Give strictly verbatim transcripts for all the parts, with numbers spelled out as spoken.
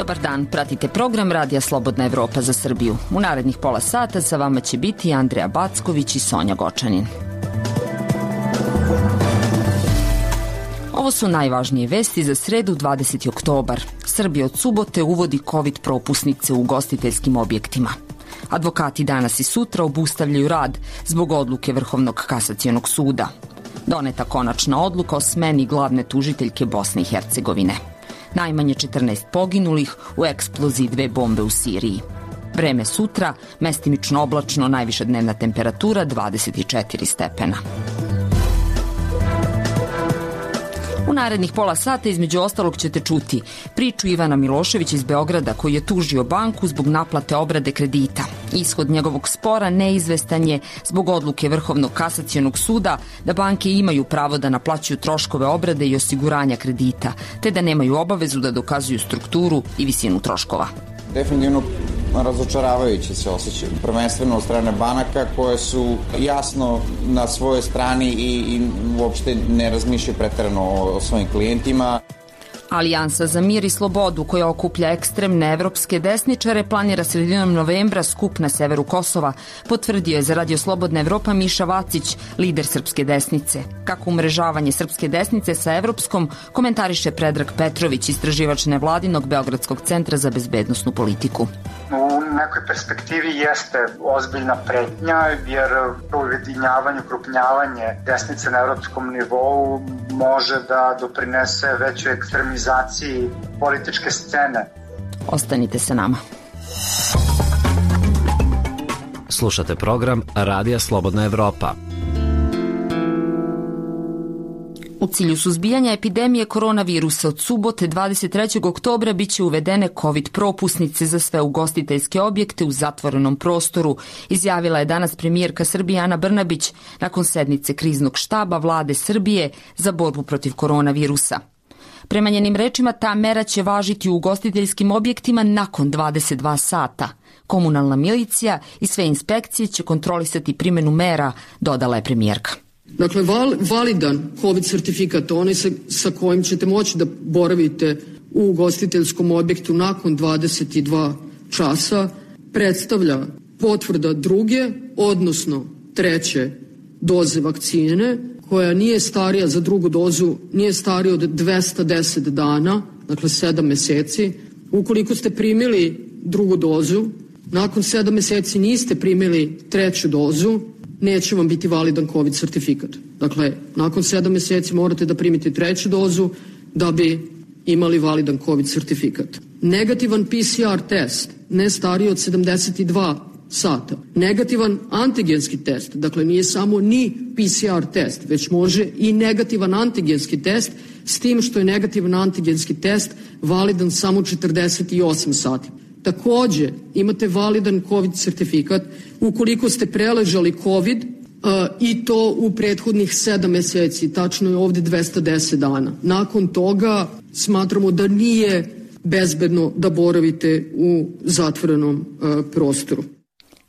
Dobar dan, pratite program Radija Slobodna Evropa za Srbiju. U narednih pola sata sa vama će biti Andreja Backović i Sonja Gočanin. Ovo su najvažnije vesti za sredu dvadeseti oktobar. Srbija od subote uvodi COVID propusnice u ugostiteljskim objektima. Advokati danas i sutra obustavljaju rad zbog odluke Vrhovnog kasacionog suda. Doneta konačna odluka o smeni glavne tužiteljke Bosne i Hercegovine. Najmanje četrnaest poginulih u eksploziji dve bombe u Siriji. Vreme sutra, mestimično oblačno, najviša dnevna temperatura dvadeset četiri stepena. U narednih pola sata između ostalog ćete čuti priču Ivana Miloševića iz Beograda koji je tužio banku zbog naplate obrade kredita. Ishod njegovog spora neizvestan je zbog odluke Vrhovnog kasacionog suda da banke imaju pravo da naplaćuju troškove obrade i osiguranja kredita, te da nemaju obavezu da dokazuju strukturu i visinu troškova. Definitivno razočaravajuće se osjećaju, prvenstveno od strane banaka koje su jasno na svojoj strani i, i uopšte ne razmišljaju preterano o, o svojim klijentima. Alijansa za mir i slobodu koja okuplja ekstremne evropske desničare planira sredinom novembra skup na severu Kosova, potvrdio je za Radio Slobodna Evropa Miša Vacić, lider srpske desnice. Kako umrežavanje srpske desnice sa evropskom komentariše Predrag Petrović, istraživač nevladinog Beogradskog centra za bezbednosnu politiku. U nekoj perspektivi jeste ozbiljna pretnja, jer ujedinjavanje, ukrupnjavanje desnice na evropskom nivou može da doprinese većoj ekstremizaciji političke scene. Ostanite sa nama. Slušate program Radija Slobodna Evropa. U cilju suzbijanja epidemije koronavirusa od subote dvadeset trećeg oktobra biće uvedene COVID propusnice za sve ugostiteljske objekte u zatvorenom prostoru, izjavila je danas premijerka Srbije Ana Brnabić nakon sednice kriznog štaba vlade Srbije za borbu protiv koronavirusa. Prema njenim rečima, ta mera će važiti u ugostiteljskim objektima nakon dvadeset dva sata. Komunalna milicija i sve inspekcije će kontrolisati primjenu mera, dodala je premijerka. Dakle, val, validan COVID sertifikat, onaj sa, sa kojim ćete moći da boravite u ugostiteljskom objektu nakon dvadeset dva časa, predstavlja potvrda druge, odnosno treće doze vakcine, koja nije starija za drugu dozu, nije starija od dvesta deset dana, dakle sedam meseci. Ukoliko ste primili drugu dozu, nakon sedam meseci niste primili treću dozu, neće vam biti validan COVID sertifikat. Dakle, nakon sedam meseci morate da primite treću dozu da bi imali validan COVID sertifikat. Negativan P C R test, ne stariji od sedamdeset dva sata. Negativan antigenski test, dakle nije samo ni P C R test, već može i negativan antigenski test, s tim što je negativan antigenski test validan samo četrdeset osam sati. Takođe, imate validan COVID sertifikat ukoliko ste preležali COVID uh, i to u prethodnih sedam meseci, tačno je ovde dvesta deset dana. Nakon toga smatramo da nije bezbedno da boravite u zatvorenom uh, prostoru.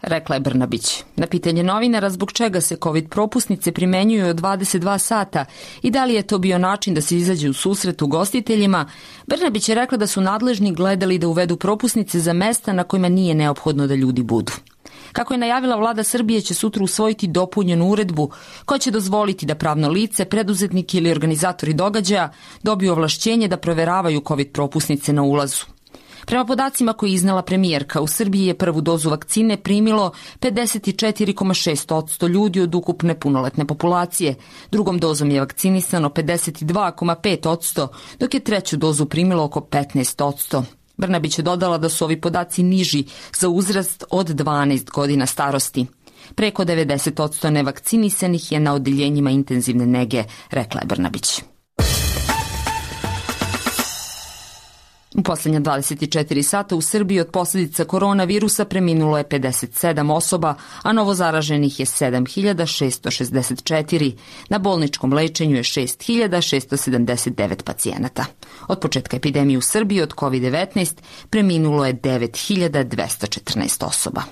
Rekla je Brnabić. Na pitanje novinara zbog čega se COVID propusnice primenjuju od dvadeset dva sata i da li je to bio način da se izađe u susret ugostiteljima, Brnabić je rekla da su nadležni gledali da uvedu propusnice za mesta na kojima nije neophodno da ljudi budu. Kako je najavila vlada Srbije, će sutra usvojiti dopunjenu uredbu koja će dozvoliti da pravno lice, preduzetnik ili organizatori događaja dobiju ovlašćenje da proveravaju COVID propusnice na ulazu. Prema podacima koje je iznela premijerka, u Srbiji je prvu dozu vakcine primilo pedeset četiri zarez šest posto ljudi od ukupne punoletne populacije. Drugom dozom je vakcinisano pedeset dva zarez pet posto, dok je treću dozu primilo oko petnaest posto. Brnabić je dodala da su ovi podaci niži za uzrast od dvanaest godina starosti. Preko devedeset posto nevakcinisanih je na odeljenjima intenzivne nege, rekla je Brnabić. U poslednja dvadeset četiri sata u Srbiji od posljedica koronavirusa preminulo je pedeset sedam osoba, a novo zaraženih je sedam hiljada šesto šezdeset četiri. Na bolničkom lečenju je šest hiljada šesto sedamdeset devet pacijenata. Od početka epidemije u Srbiji od COVID devetnaest preminulo je devet hiljada dvesta četrnaest osoba.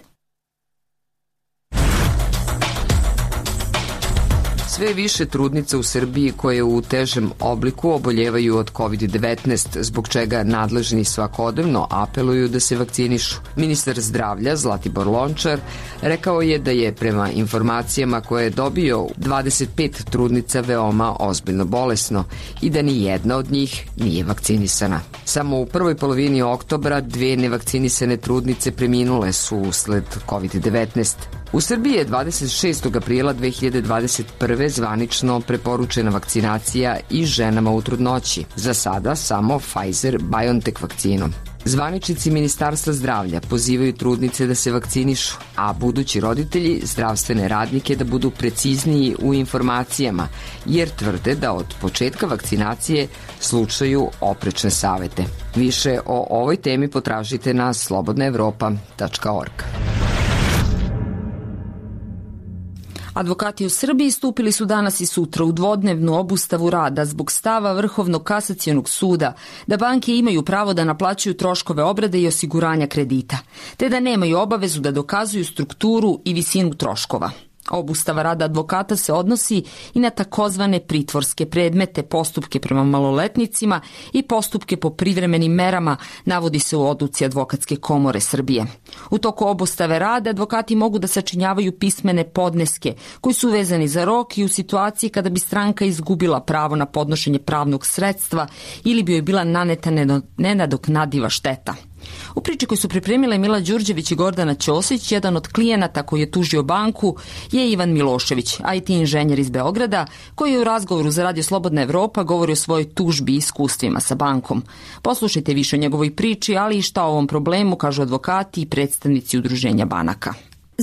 Sve više trudnica u Srbiji koje u težem obliku oboljevaju od kovid devetnaest, zbog čega nadležni svakodnevno apeluju da se vakcinišu. Ministar zdravlja Zlatibor Lončar rekao je da je prema informacijama koje je dobio dvadeset pet trudnica veoma ozbiljno bolesno i da ni jedna od njih nije vakcinisana. Samo u prvoj polovini oktobra dve nevakcinisane trudnice preminule su usled kovid devetnaest. U Srbiji je dvadeset šestog aprila dve hiljade dvadeset prve. zvanično preporučena vakcinacija i ženama u trudnoći. Za sada samo Pfizer-BioNTech vakcinom. Zvaničnici Ministarstva zdravlja pozivaju trudnice da se vakcinišu, a budući roditelji zdravstvene radnike da budu precizniji u informacijama, jer tvrde da od početka vakcinacije slušaju oprečne savete. Više o ovoj temi potražite na slobodna evropa tačka org. Advokati u Srbiji stupili su danas i sutra u dvodnevnu obustavu rada zbog stava Vrhovnog kasacionog suda da banke imaju pravo da naplaćuju troškove obrade i osiguranja kredita, te da nemaju obavezu da dokazuju strukturu i visinu troškova. Obustava rada advokata se odnosi i na takozvane pritvorske predmete, postupke prema maloletnicima i postupke po privremenim merama, navodi se u odluci Advokatske komore Srbije. U toku obustave rada advokati mogu da sačinjavaju pismene podneske koji su vezani za rok i u situaciji kada bi stranka izgubila pravo na podnošenje pravnog sredstva ili bi joj bila naneta nenadoknadiva šteta. U priči koju su pripremile Mila Đurđević i Gordana Ćosić, jedan od klijenata koji je tužio banku je Ivan Milošević, I T inženjer iz Beograda, koji je u razgovoru za Radio Slobodna Evropa govori o svojoj tužbi i iskustvima sa bankom. Poslušajte više o njegovoj priči, ali i šta o ovom problemu kažu advokati i predstavnici udruženja banaka.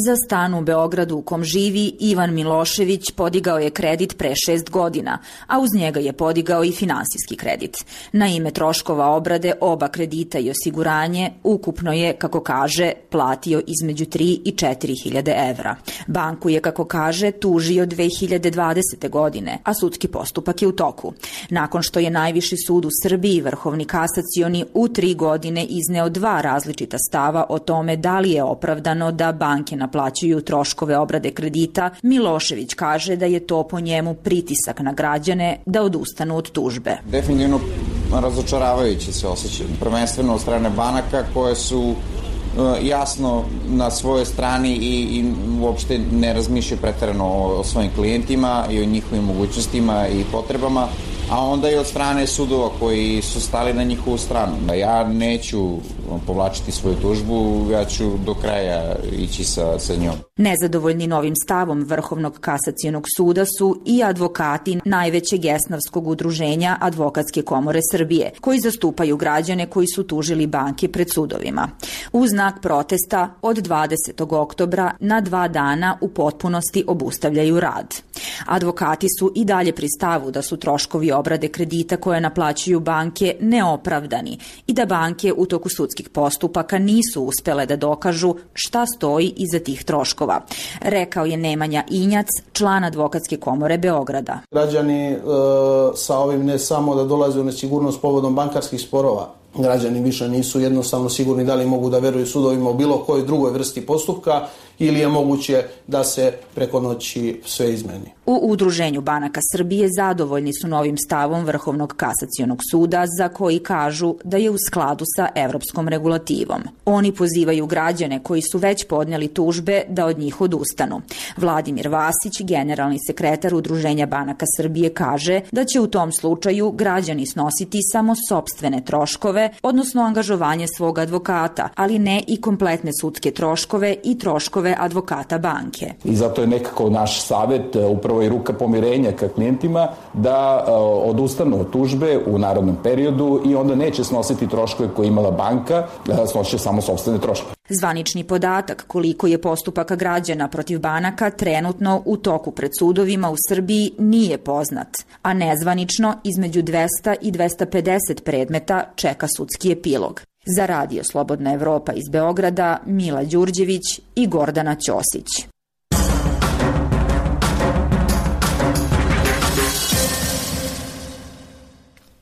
Za stan u Beogradu u kom živi Ivan Milošević podigao je kredit pre šest godina, a uz njega je podigao i finansijski kredit. Na ime troškova obrade oba kredita i osiguranje ukupno je, kako kaže, platio između tri i četiri hiljade evra. Banku je, kako kaže, tužio dve hiljade dvadesete. godine, a sudski postupak je u toku. Nakon što je Najviši sud u Srbiji, Vrhovni kasacioni, u tri godine izneo dva različita stava o tome da li je opravdano da banke na naplaćuju troškove obrade kredita, Milošević kaže da je to po njemu pritisak na građane da odustanu od tužbe. Definitivno razočaravajuće se osjećaju, prvenstveno od strane banaka koje su jasno na svojoj strani i, i uopšte ne razmišljaju preterano o, o svojim klijentima i o njihovim mogućnostima i potrebama, a onda i od strane sudova koji su stali na njihovu stranu. Ja neću povlačiti svoju tužbu, ja ću do kraja ići sa, sa njom. Nezadovoljni novim stavom Vrhovnog kasacionog suda su i advokati najvećeg esnavskog udruženja Advokatske komore Srbije, koji zastupaju građane koji su tužili banke pred sudovima. U znak protesta od dvadesetog oktobra na dva dana u potpunosti obustavljaju rad. Advokati su i dalje pri stavu da su troškovi obrade kredita koje naplaćuju banke neopravdani i da banke u toku sudskih postupaka nisu uspele da dokažu šta stoji iza tih troškova, rekao je Nemanja Injac, član Advokatske komore Beograda. Građani e, sa ovim ne samo da dolaze u nesigurnost povodom bankarskih sporova, građani više nisu jednostavno sigurni da li mogu da veruju sudovima u bilo kojoj drugoj vrsti postupka ili je moguće da se preko noći sve izmeni. U Udruženju banaka Srbije zadovoljni su novim stavom Vrhovnog kasacionog suda, za koji kažu da je u skladu sa evropskom regulativom. Oni pozivaju građane koji su već podneli tužbe da od njih odustanu. Vladimir Vasić, generalni sekretar Udruženja banaka Srbije, kaže da će u tom slučaju građani snositi samo sopstvene troškove, odnosno angažovanje svog advokata, ali ne i kompletne sudske troškove i troškove advokata banke. I zato je nekako naš savet, upravo i ruka pomirenja ka klijentima, da odustanu od tužbe u narednom periodu i onda neće snositi troškove koje imala banka, snosit samo sopstvene troškove. Zvanični podatak koliko je postupaka građana protiv banaka trenutno u toku pred sudovima u Srbiji nije poznat, a nezvanično između dvesta i dvesta pedeset predmeta čeka sudski epilog. Za Radio Slobodna Evropa iz Beograda, Mila Đurđević i Gordana Ćosić.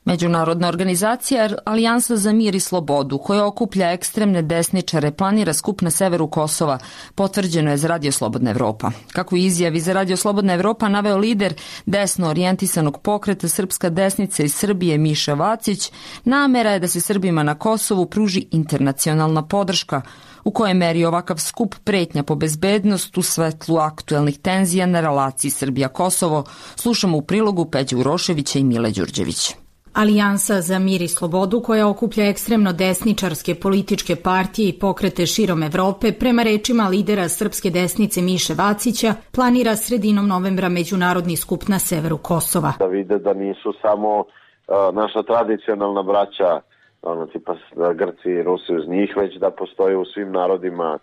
Međunarodna organizacija Alijansa za mir i slobodu, koja okuplja ekstremne desničare, planira skup na severu Kosova, potvrđeno je za Radio Slobodna Evropa. Kako izjavi za Radio Slobodna Evropa naveo lider desno orijentisanog pokreta Srpska desnica iz Srbije Miša Vacić, namera je da se Srbima na Kosovu pruži internacionalna podrška, u kojoj meri ovakav skup pretnja po bezbednost u svetlu aktuelnih tenzija na relaciji Srbija-Kosovo. Slušamo u prilogu Peđe Uroševića i Mile Đurđević. Alijansa za mir i slobodu, koja okuplja ekstremno desničarske političke partije i pokrete širom Evrope, prema rečima lidera Srpske desnice Miše Vacića, planira sredinom novembra međunarodni skup na severu Kosova. Da vide da nisu samo uh, naša tradicionalna braća, ono tipa Grci i Rusi uz njih, već da postoje u svim narodima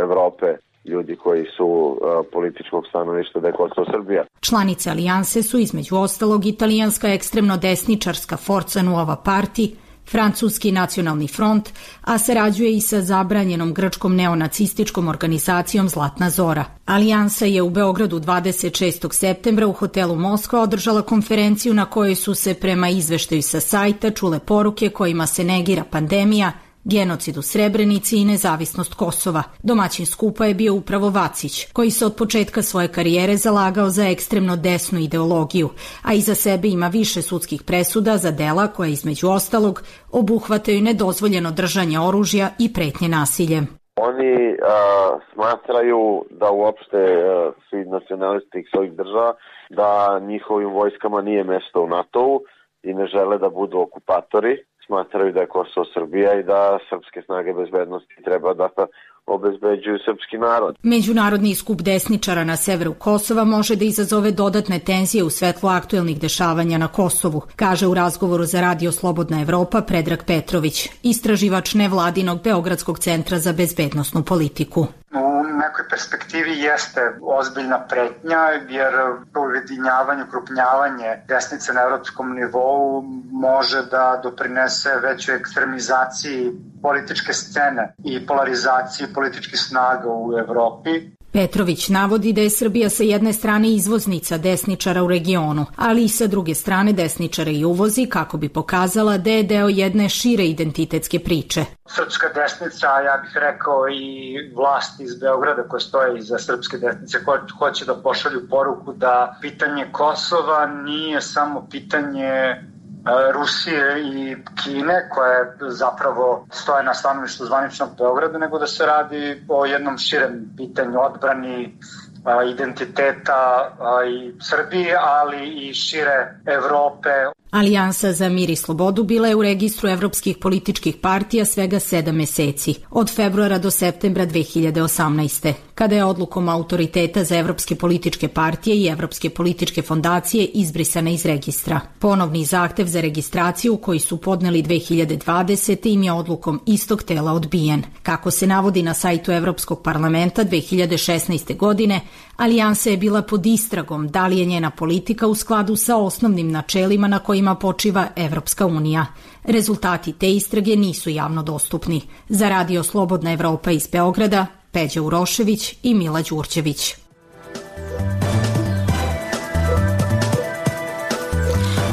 Evrope ljudi koji su uh, političkog stanovišta da je Kosovo Srbija. Članice alijanse su između ostalog italijanska ekstremno desničarska Forza Nuova Parti, francuski nacionalni front, a sarađuje i sa zabranjenom grčkom neonacističkom organizacijom Zlatna Zora. Alijansa je u Beogradu dvadeset šestog septembra u hotelu Moskva održala konferenciju na kojoj su se prema izveštaju sa sajta čule poruke kojima se negira pandemija, genocid u Srebrenici i nezavisnost Kosova. Domaćin skupa je bio upravo Vacić, koji se od početka svoje karijere zalagao za ekstremno desnu ideologiju, a iza sebe ima više sudskih presuda za dela koja između ostalog obuhvataju nedozvoljeno držanje oružja i pretnje nasiljem. Oni uh, smatraju da uopšte uh, svi nacionalisti svojih država, da njihovim vojskama nije mesto u NATO-u i ne žele da budu okupatori. Smatraju da je Kosovo Srbija i da srpske snage bezbednosti treba da obezbeđuju srpski narod. Međunarodni skup desničara na severu Kosova može da izazove dodatne tenzije u svetlu aktuelnih dešavanja na Kosovu, kaže u razgovoru za Radio Slobodna Evropa Predrag Petrović, istraživač nevladinog Beogradskog centra za bezbednosnu politiku. U nekoj perspektivi jeste ozbiljna pretnja, jer ujedinjavanje, ukrupnjavanje desnice na evropskom nivou može da doprinese većoj ekstremizaciji političke scene i polarizaciji političkih snaga u Evropi. Petrović navodi da je Srbija sa jedne strane izvoznica desničara u regionu, ali i sa druge strane desničara i uvozi kako bi pokazala da je deo jedne šire identitetske priče. Srpska desnica, ja bih rekao i vlasti iz Beograda koje stoje iza srpske desnice, ko hoće da pošalju poruku da pitanje Kosova nije samo pitanje Rusije i Kine, koje zapravo stoje na stanovištu zvaničnog Beograda, nego da se radi o jednom širem pitanju odbrani identiteta i Srbije, ali i šire Evrope. Alijansa za mir i slobodu bila je u registru evropskih političkih partija svega sedam meseci, od februara do septembra dve hiljade osamnaeste. Kada je odlukom autoriteta za evropske političke partije i evropske političke fondacije izbrisana iz registra. Ponovni zahtev za registraciju koji su podneli dve hiljade dvadesete im je odlukom istog tela odbijen. Kako se navodi na sajtu Evropskog parlamenta dve hiljade šesnaeste. godine, Alijansa je bila pod istragom da li je njena politika u skladu sa osnovnim načelima na kojima počiva Evropska unija. Rezultati te istrage nisu javno dostupni. Za Radio Slobodna Evropa iz Beograda, Peđa Urošević i Mila Đurđević.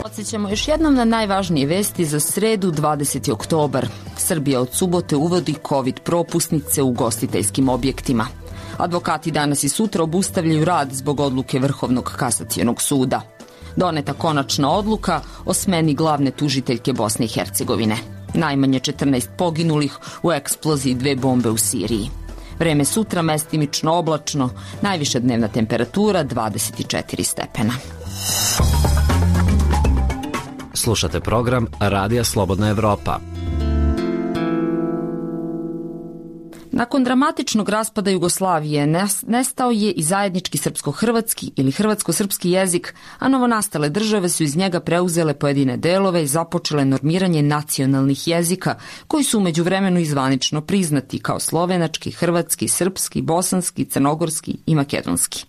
Podsjećamo još jednom na najvažnije vesti za sredu dvadeseti oktobar. Srbija od subote uvodi COVID propusnice u ugostiteljskim objektima. Advokati danas i sutra obustavljaju rad zbog odluke Vrhovnog kasacionog suda. Doneta konačna odluka o smeni glavne tužiteljke Bosne i Hercegovine. Najmanje četrnaest poginulih u eksploziji dve bombe u Siriji. Vreme sutra mestimično oblačno, najviša dnevna temperatura dvadeset četiri stepena. Slušate program Radija Slobodna Evropa. Nakon dramatičnog raspada Jugoslavije nestao je i zajednički srpsko-hrvatski ili hrvatsko-srpski jezik, a novonastale države su iz njega preuzele pojedine delove i započele normiranje nacionalnih jezika, koji su umeđu vremenu izvanično priznati kao slovenački, hrvatski, srpski, bosanski, crnogorski i makedonski.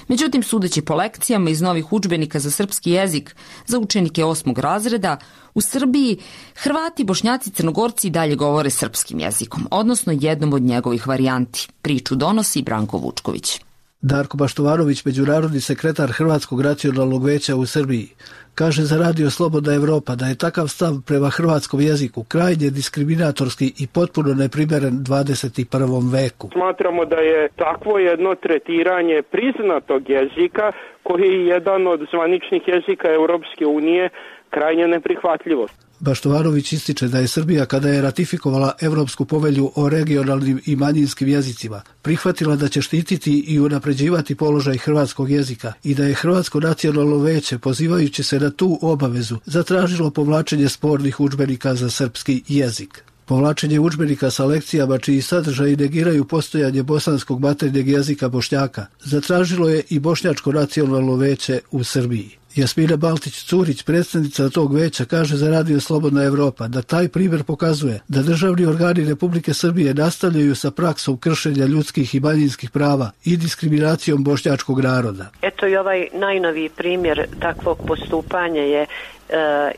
Međutim, sudeći po lekcijama iz novih udžbenika za srpski jezik za učenike osmog razreda, u Srbiji Hrvati, Bošnjaci, Crnogorci dalje govore srpskim jezikom, odnosno jednom od njegovih varijanti. Priču donosi Branko Vučković. Darko Baštovanović, međunarodni sekretar Hrvatskog nacionalnog veća u Srbiji, kaže za Radio Slobodna Evropa da je takav stav prema hrvatskom jeziku krajnje diskriminatorski i potpuno neprimeren dvadeset i prvom veku. Smatramo da je takvo jedno tretiranje priznatog jezika, koji je jedan od zvaničnih jezika Europske unije, krajnje neprihvatljivo. Baštovanović ističe da je Srbija, kada je ratifikovala Evropsku povelju o regionalnim i manjinskim jezicima, prihvatila da će štititi i unapređivati položaj hrvatskog jezika i da je Hrvatsko nacionalno veće, pozivajući se na tu obavezu, zatražilo povlačenje spornih udžbenika za srpski jezik. Povlačenje udžbenika sa lekcijama čiji sadržaji negiraju postojanje bosanskog maternjeg jezika Bošnjaka zatražilo je i Bošnjačko nacionalno veće u Srbiji. Jasmina Baltić-Curić, predstavnica tog veća, kaže za Radio Slobodna Evropa da taj primjer pokazuje da državni organi Republike Srbije nastavljaju sa praksom kršenja ljudskih i manjinskih prava i diskriminacijom bošnjačkog naroda. Eto i ovaj najnoviji primjer takvog postupanja je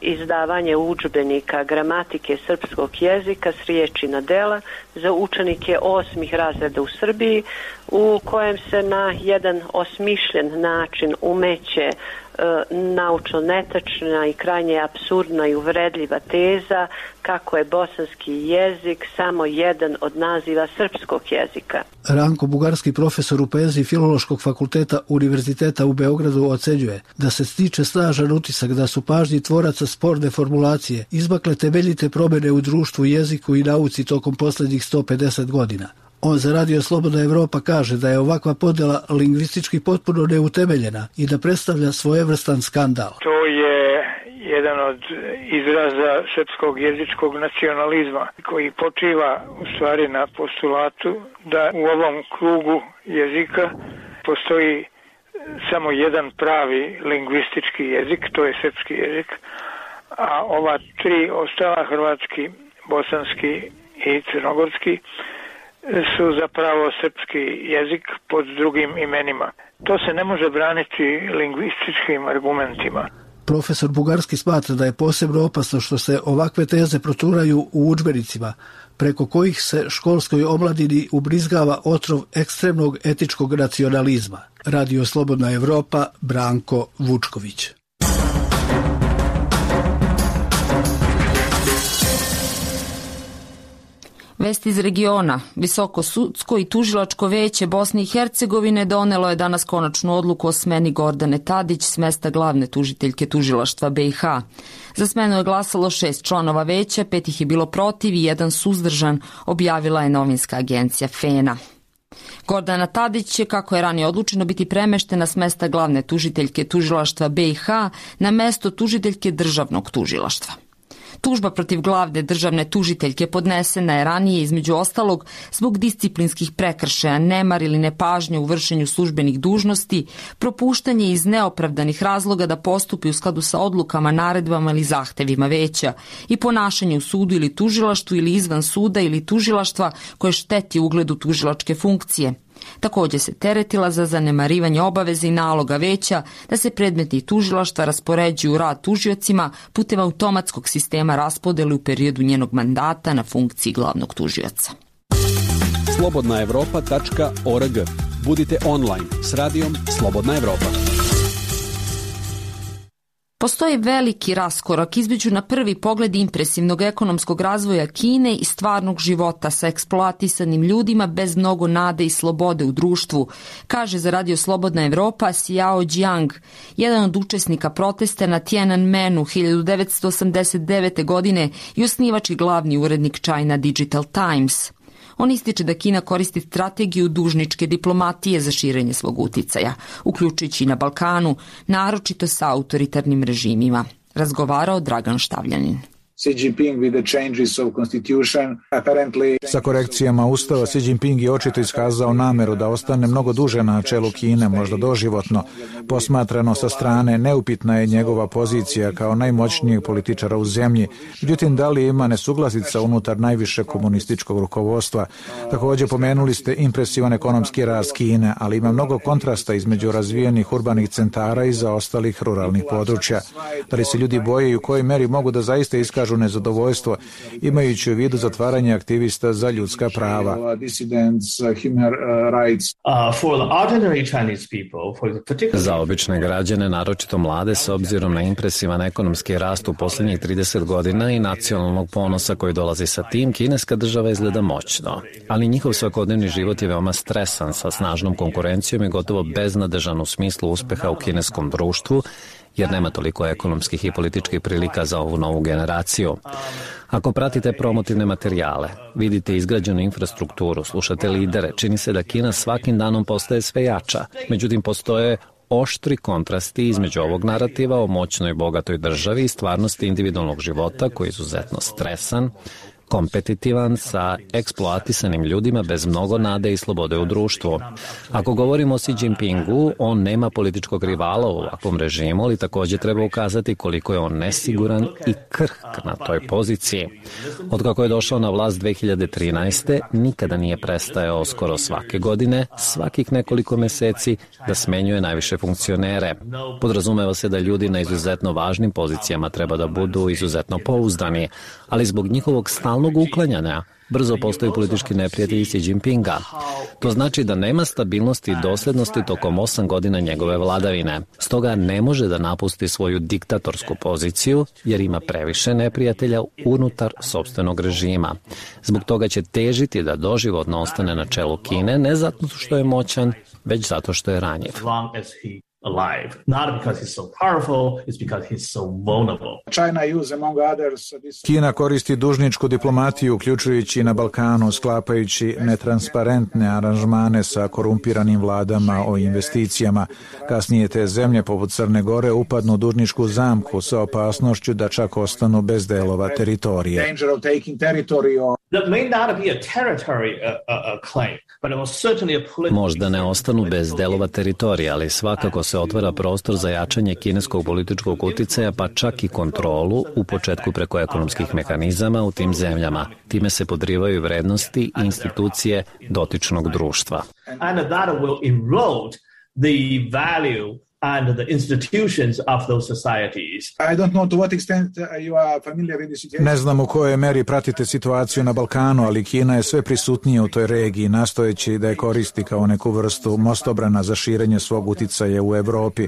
izdavanje udžbenika gramatike srpskog jezika s riječi na dela za učenike osmih razreda u Srbiji, u kojem se na jedan osmišljen način umeće naučno netačna i krajnje apsurdna i uvredljiva teza kako je bosanski jezik samo jedan od naziva srpskog jezika. Ranko Bugarski, profesor u poeziji Filološkog fakulteta Univerziteta u Beogradu, ocenjuje da se stiče snažan utisak da su pažnji tvoraca sporne formulacije izmakle temeljite promjene u društvu, jeziku i nauci tokom posljednjih sto pedeset godina. On za Radio Slobodna Evropa kaže da je ovakva podjela lingvistički potpuno neutemeljena i da predstavlja svojevrstan skandal. To je jedan od izraza srpskog jezičkog nacionalizma koji počiva u stvari na postulatu da u ovom krugu jezika postoji samo jedan pravi lingvistički jezik, to je srpski jezik, a ova tri ostala, hrvatski, bosanski i crnogorski, su zapravo srpski jezik pod drugim imenima. To se ne može braniti lingvističkim argumentima. Profesor Bugarski smatra da je posebno opasno što se ovakve teze proturaju u udžbenicima, preko kojih se školskoj omladini ubrizgava otrov ekstremnog etičkog nacionalizma. Radio Slobodna Evropa, Branko Vučković. Vest iz regiona. Visoko sudsko i tužilačko veće Bosne i Hercegovine donelo je danas konačnu odluku o smeni Gordane Tadić s mesta glavne tužiteljke tužilaštva B i H. Za smenu je glasalo šest članova veća, pet ih je bilo protiv i jedan suzdržan, objavila je novinska agencija Fena. Gordana Tadić će, kako je ranije odlučeno, biti premeštena s mesta glavne tužiteljke tužilaštva B i H na mesto tužiteljke državnog tužilaštva. Tužba protiv glavne državne tužiteljke podnesena je ranije između ostalog zbog disciplinskih prekršaja, nemar ili nepažnje u vršenju službenih dužnosti, propuštanje iz neopravdanih razloga da postupi u skladu sa odlukama, naredbama ili zahtevima veća i ponašanje u sudu ili tužilaštvu ili izvan suda ili tužilaštva koje šteti ugledu tužilačke funkcije. Također se teretila za zanemarivanje obaveze i naloga veća da se predmeti tužilaštva raspoređuju u rad tužiocima putem automatskog sistema raspodele u periodu njenog mandata na funkciji glavnog tužioca. slobodna evropa tačka org. Budite online s radijom Slobodna Evropa. Postoji veliki raskorak između na prvi pogled impresivnog ekonomskog razvoja Kine i stvarnog života sa eksploatisanim ljudima bez mnogo nade i slobode u društvu, kaže za Radio Slobodna Evropa Xiao Jiang, jedan od učesnika protesta na Tiananmenu hiljadu devetsto osamdeset devete. godine i osnivač i glavni urednik China Digital Times. On ističe da Kina koristi strategiju dužničke diplomatije za širenje svog uticaja, uključujući i na Balkanu, naročito sa autoritarnim režimima. Razgovarao Dragan Štavljanin. Sa korekcijama Ustava, Xi Jinping je očito iskazao nameru da ostane mnogo duže na čelu Kine, možda doživotno. Posmatrano sa strane, neupitna je njegova pozicija kao najmoćnijeg političara u zemlji. Međutim, da li ima nesuglasica unutar najviše komunističkog rukovodstva? Također pomenuli ste impresivan ekonomski rast Kine, ali ima mnogo kontrasta između razvijenih urbanih centara i zaostalih ruralnih područja. Da li se ljudi boje i u kojoj meri mogu da zaista iskažu iskažu nezadovoljstvo, imajući u vidu zatvaranje aktivista za ljudska prava. Za obične građane, naročito mlade, s obzirom na impresivan ekonomski rast u posljednjih trideset godina i nacionalnog ponosa koji dolazi sa tim, kineska država izgleda moćno. Ali njihov svakodnevni život je veoma stresan, sa snažnom konkurencijom i gotovo beznadežan u smislu uspeha u kineskom društvu, jer nema toliko ekonomskih i političkih prilika za ovu novu generaciju. Ako pratite promotivne materijale, vidite izgrađenu infrastrukturu, slušate lidere, čini se da Kina svakim danom postaje sve jača. Međutim, postoje oštri kontrasti između ovog narativa o moćnoj i bogatoj državi i stvarnosti individualnog života koji je izuzetno stresan, kompetitivan, sa eksploatisanim ljudima bez mnogo nade i slobode u društvu. Ako govorimo o Xi Jinpingu, on nema političkog rivala u ovakvom režimu, ali također treba ukazati koliko je on nesiguran i krhk na toj poziciji. Od kako je došao na vlast dve hiljade trinaeste. nikada nije prestajao skoro svake godine, svakih nekoliko meseci, da smenjuje najviše funkcionere. Podrazumeva se da ljudi na izuzetno važnim pozicijama treba da budu izuzetno pouzdani, ali zbog njihovog stalnog uklanjanja brzo postaju politički neprijatelji Xi Jinpinga. To znači da nema stabilnosti i doslednosti tokom osam godina njegove vladavine. Stoga ne može da napusti svoju diktatorsku poziciju jer ima previše neprijatelja unutar sopstvenog režima. Zbog toga će težiti da doživotno ostane na čelu Kine, ne zato što je moćan, već zato što je ranjiv. alive. Not because he's so powerful, it's because he's so vulnerable. China use among others this... Kina koristi dužničku diplomatiju, uključujući na Balkanu, sklapajući netransparentne aranžmane sa korumpiranim vladama o investicijama. Kasnije te zemlje, poput Crne Gore, upadnu u dužničku zamku sa opasnošću da čak ostanu bez delova teritorije. Danger of taking territory or... That may not be a territory uh, uh, uh, claim, but it was certainly a political... Možda ne ostanu bez delova teritorija, ali svakako se otvara prostor za jačanje kineskog političkog uticaja, pa čak i kontrolu, u početku preko ekonomskih mehanizama u tim zemljama. Time se podrivaju vrednosti i institucije dotičnog društva. And that will erode the value and the institutions of those societies. I don't know to what extent you are familiar with the situation. Ne znam u kojoj meri pratite situaciju na Balkanu, ali Kina je sve prisutnija u toj regiji, nastojeći da je koristi kao neku vrstu mostobrana za širenje svog uticaja u Evropi.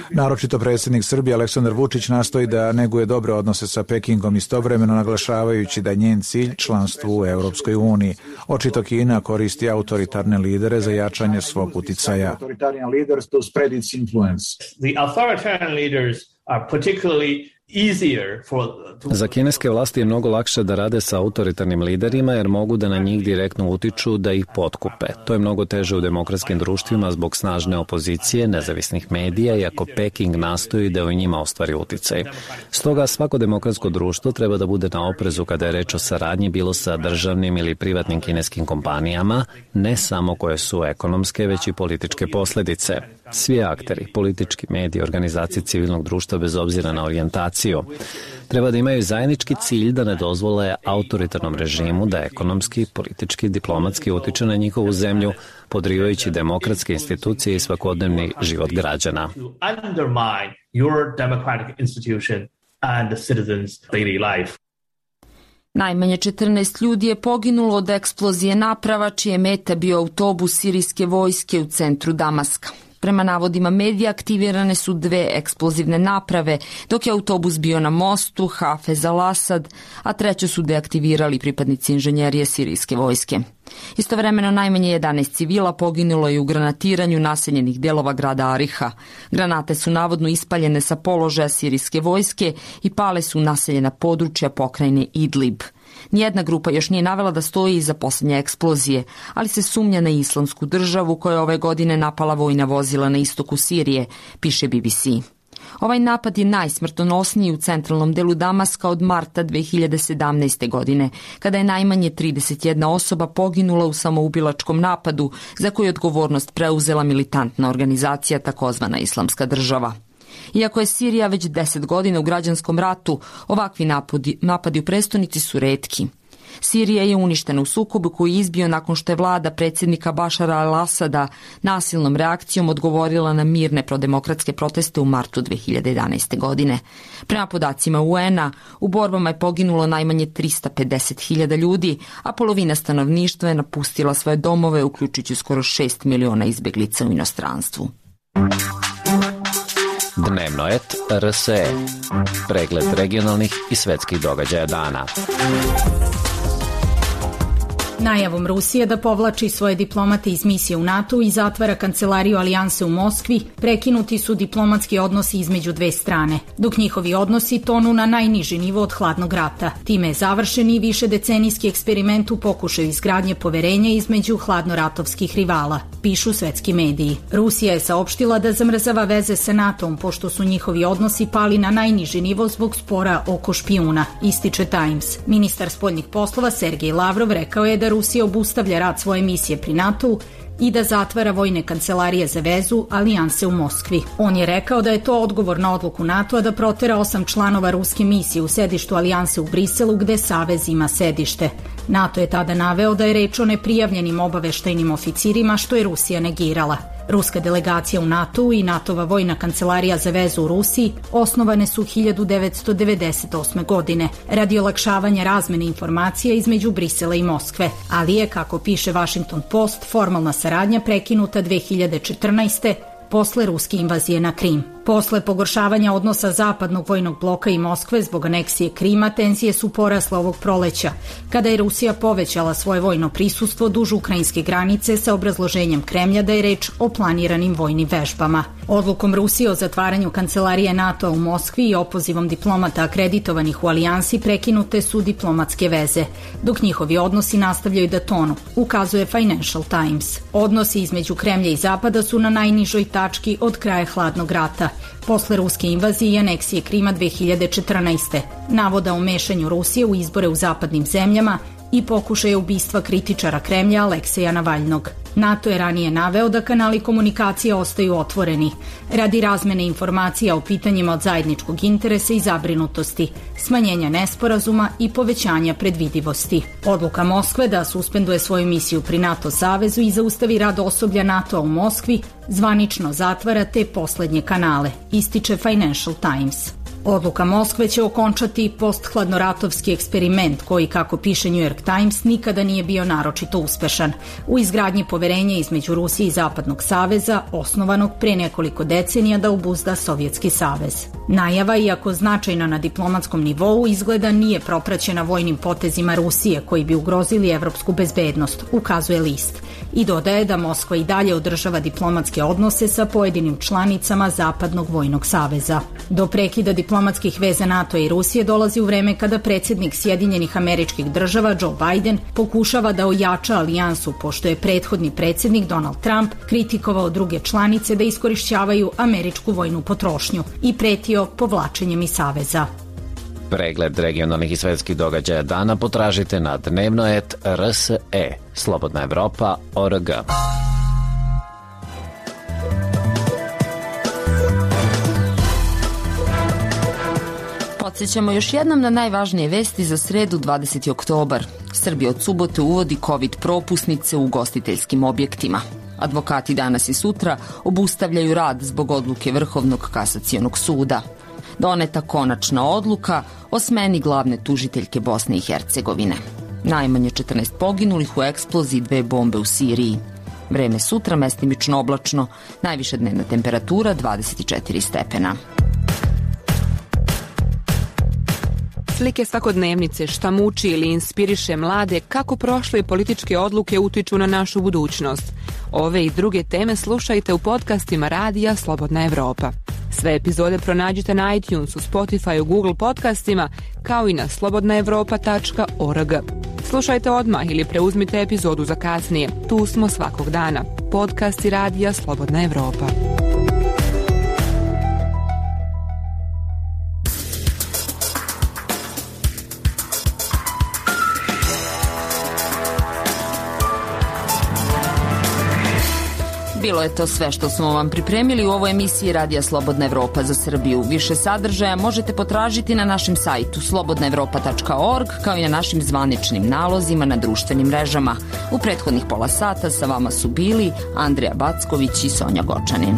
Naročito predsjednik Srbije Aleksandar Vučić nastoji da neguje dobre odnose sa Pekingom, istovremeno naglašavajući da je njen cilj članstvo u Europskoj uniji. Očito Kina koristi autoritarne lidere za jačanje svog uticaja. Authoritarian leaders to spread its influence. The authoritarian leaders are particularly easier for... Za kineske vlasti je mnogo lakše da rade sa autoritarnim liderima jer mogu da na njih direktno utiču da ih potkupe. To je mnogo teže u demokratskim društvima zbog snažne opozicije, nezavisnih medija, iako Peking nastoji da u njima ostvari uticaj. Stoga svako demokratsko društvo treba da bude na oprezu kada je reč o saradnji bilo sa državnim ili privatnim kineskim kompanijama, ne samo koje su ekonomske, već i političke posledice. Svi akteri, politički mediji, organizacije civilnog društva bez obzira na orijentaciju, treba da imaju zajednički cilj da ne dozvole autoritarnom režimu da ekonomski, politički, diplomatski utiče na njihovu zemlju, podrivajući demokratske institucije i svakodnevni život građana. Najmanje četrnaest ljudi je poginulo od eksplozije naprava čije meta bio autobus sirijske vojske u centru Damaska. Prema navodima medija aktivirane su dve eksplozivne naprave, dok je autobus bio na mostu Hafez al-Asad, a treću su deaktivirali pripadnici inženjerije sirijske vojske. Istovremeno najmanje jedanaest civila poginulo je u granatiranju naseljenih delova grada Ariha. Granate su navodno ispaljene sa položaja sirijske vojske i pale su naseljena područja pokrajine Idlib. Nijedna grupa još nije navela da stoji iza posljednje eksplozije, ali se sumnja na Islamsku državu koja je ove godine napala vojna vozila na istoku Sirije, piše B B C. Ovaj napad je najsmrtonosniji u centralnom delu Damaska od marta dve hiljade sedamnaeste. godine, kada je najmanje trideset jedna osoba poginula u samoubilačkom napadu za koju je odgovornost preuzela militantna organizacija takozvana Islamska država. Iako je Sirija već deset godina u građanskom ratu, ovakvi napadi, napadi u prestonici su retki. Sirija je uništena u sukobu koji je izbio nakon što je vlada predsjednika Bašara al-Asada nasilnom reakcijom odgovorila na mirne prodemokratske proteste u martu dve hiljade jedanaeste. godine. Prema podacima U N-a, u borbama je poginulo najmanje trista pedeset hiljada ljudi, a polovina stanovništva je napustila svoje domove, uključujući skoro šest miliona izbeglica u inostranstvu. Dnevno et R S E. Pregled regionalnih i svetskih događaja dana. Najavom Rusije da povlači svoje diplomate iz misije u NATO i zatvara kancelariju Alijanse u Moskvi, prekinuti su diplomatski odnosi između dve strane, dok njihovi odnosi tonu na najniži nivo od hladnog rata. Time je završen i višedecenijski eksperiment u pokušaju izgradnje poverenja između hladnoratovskih rivala, pišu svetski mediji. Rusija je saopštila da zamrzava veze sa NATO-om pošto su njihovi odnosi pali na najniži nivo zbog spora oko špijuna, ističe Times. Ministar spoljnih poslova Sergej Lavrov rekao je da Rusija obustavlja rad svoje misije pri NATO-u i da zatvara vojne kancelarije za vezu Alijanse u Moskvi. On je rekao da je to odgovor na odluku NATO-a da protera osam članova ruske misije u sedištu Alijanse u Briselu gde Savez ima sedište. NATO je tada naveo da je reč o neprijavljenim obaveštajnim oficirima što je Rusija negirala. Ruska delegacija u NATO-u i NATO-va vojna kancelarija za vezu u Rusiji osnovane su hiljadu devetsto devedeset osme. godine radi olakšavanja razmene informacija između Brisela i Moskve, ali je, kako piše Washington Post, formalna saradnja prekinuta dve hiljade četrnaeste. posle ruske invazije na Krim. Posle pogoršavanja odnosa zapadnog vojnog bloka i Moskve zbog aneksije Krima, tenzije su porasle ovog proleća, kada je Rusija povećala svoje vojno prisustvo duž ukrajinske granice sa obrazloženjem Kremlja da je reč o planiranim vojnim vežbama. Odlukom Rusije o zatvaranju kancelarije NATO u Moskvi i opozivom diplomata akreditovanih u alijansi prekinute su diplomatske veze, dok njihovi odnosi nastavljaju da tonu, ukazuje Financial Times. Odnosi između Kremlja i Zapada su na najnižoj tački od kraja hladnog rata, posle ruske invazije i aneksije Krima dve hiljade četrnaeste. Navoda o mešanju Rusije u izbore u zapadnim zemljama i pokušaja ubistva kritičara Kremlja Alekseja Navalnog. NATO je ranije naveo da kanali komunikacije ostaju otvoreni radi razmene informacija o pitanjima od zajedničkog interesa i zabrinutosti, smanjenja nesporazuma i povećanja predvidivosti. Odluka Moskve da suspenduje svoju misiju pri NATO savezu i zaustavi rad osoblja NATO u Moskvi zvanično zatvara te poslednje kanale, ističe Financial Times. Odluka Moskve će okončati posthladnoratovski eksperiment koji, kako piše New York Times, nikada nije bio naročito uspešan u izgradnji poverenja između Rusije i Zapadnog saveza, osnovanog pre nekoliko decenija da obuzda Sovjetski savez. Najava, iako značajna na diplomatskom nivou, izgleda nije propraćena vojnim potezima Rusije koji bi ugrozili evropsku bezbednost, ukazuje list, i dodaje da Moskva i dalje održava diplomatske odnose sa pojedinim članicama Zapadnog vojnog saveza. Do prekida diplomatskih veza NATO i Rusije dolazi u vreme kada predsjednik Sjedinjenih Američkih Država Joe Biden pokušava da ojača alijansu, pošto je prethodni predsjednik Donald Trump kritikovao druge članice da iskorišćavaju američku vojnu potrošnju i pretio povlačenjem iz saveza. Pregled regionalnih i svetskih događaja dana potražite na dnevno et R S E, Slobodna Evropa, O R G. Podsjećamo još jednom na najvažnije vesti za sredu dvadeseti oktobar. Srbija od subote uvodi COVID propusnice u ugostiteljskim objektima. Advokati danas i sutra obustavljaju rad zbog odluke Vrhovnog kasacionog suda. Doneta konačna odluka o smeni glavne tužiteljke Bosne i Hercegovine. Najmanje četrnaest poginulih u eksploziji dve bombe u Siriji. Vreme sutra mestimično oblačno, najviša dnevna temperatura dvadeset četiri stepena. Slike svakodnevnice, šta muči ili inspiriše mlade, kako prošle političke odluke utiču na našu budućnost. Ove i druge teme slušajte u podcastima radija Slobodna Evropa. Sve epizode pronađite na iTunesu, Spotify, Google podcastima, kao i na slobodna evropa tačka org. Slušajte odmah ili preuzmite epizodu za kasnije. Tu smo svakog dana. Podcasti radija Slobodna Evropa. Bilo je to sve što smo vam pripremili u ovoj emisiji Radija Slobodna Evropa za Srbiju. Više sadržaja možete potražiti na našem sajtu slobodna evropa tačka org, kao i na našim zvaničnim nalozima na društvenim mrežama. U prethodnih pola sata sa vama su bili Andrija Backović i Sonja Gočanin.